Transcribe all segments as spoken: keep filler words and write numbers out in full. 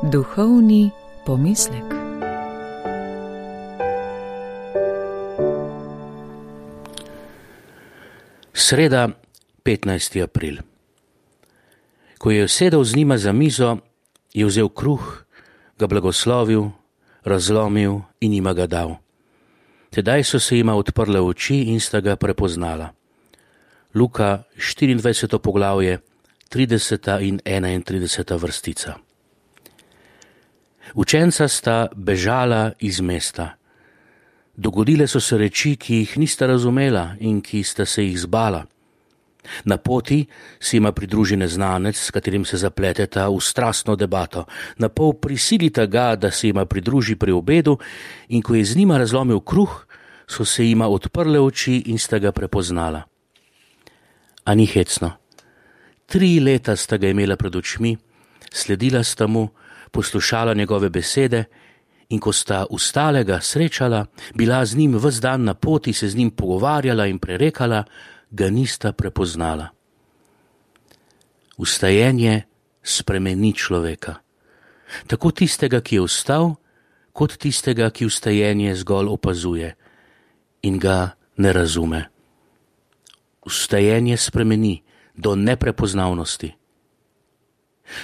Duhovni pomislek. Sreda, petnajsti april. Ko je sedel z njima za mizo, je vzel kruh, ga blagoslovil, razlomil in jima ga dal. Tedaj so se jima odprle oči in sta ga prepoznala. Luka, štiriindvajseto poglavje, trideseta in enaintrideseta vrstica. Učenca sta bežala iz mesta. Dogodile so se reči, ki jih nista razumela in ki sta se jih zbala. Na poti se jima pridruži neznanec, s katerim se zapleteta v strastno debato. Napol prisilita ga, da se jima pridruži pri obedu, in ko je z njima razlomil kruh, so se jima odprle oči in sta ga prepoznala. A ni hecno. Tri leta sta ga imela pred očmi, sledila sta mu, poslušala njegove besede, in ko sta ustalega srečala, bila z njim ves dan na poti, se z njim pogovarjala in prerekala, ga nista prepoznala. Vstajenje spremeni človeka. Tako tistega, ki je vstal, kot tistega, ki vstajenje zgolj opazuje in ga ne razume. Vstajenje spremeni do neprepoznavnosti.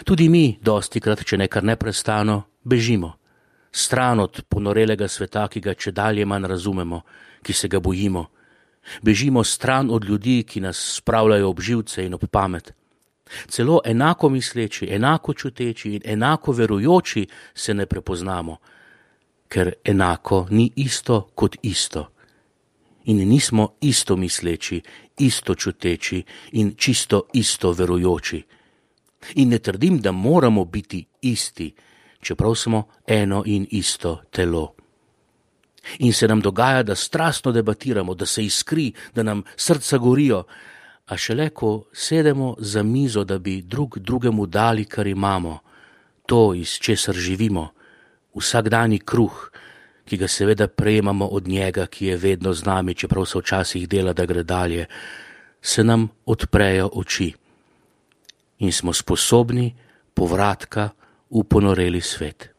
Tudi mi dostikrat, če ne kar neprestano, bežimo. Stran od ponorelega sveta, ki ga čedalje manj razumemo, ki se ga bojimo. Bežimo stran od ljudi, ki nas spravljajo ob živce in ob pamet. Celo enako misleči, enako čuteči in enako verujoči se ne prepoznamo, ker enako ni isto kot isto. In nismo isto misleči, isto čuteči in čisto isto verujoči. In ne trdim, da moramo biti isti, čeprav smo eno in isto telo. In se nam dogaja, da strastno debatiramo, da se iskri, da nam srca gorijo, a šele ko sedemo za mizo, da bi drug drugemu dali, kar imamo, to, iz česar živimo, vsakdanji kruh, ki ga seveda prejemamo od njega, ki je vedno z nami, čeprav se včasih dela, da gre dalje, se nam odprejo oči in smo sposobni povratka v ponoreli svet.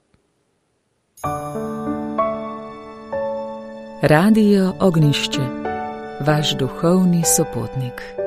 Radio Ognjišče, vaš duhovni sopotnik.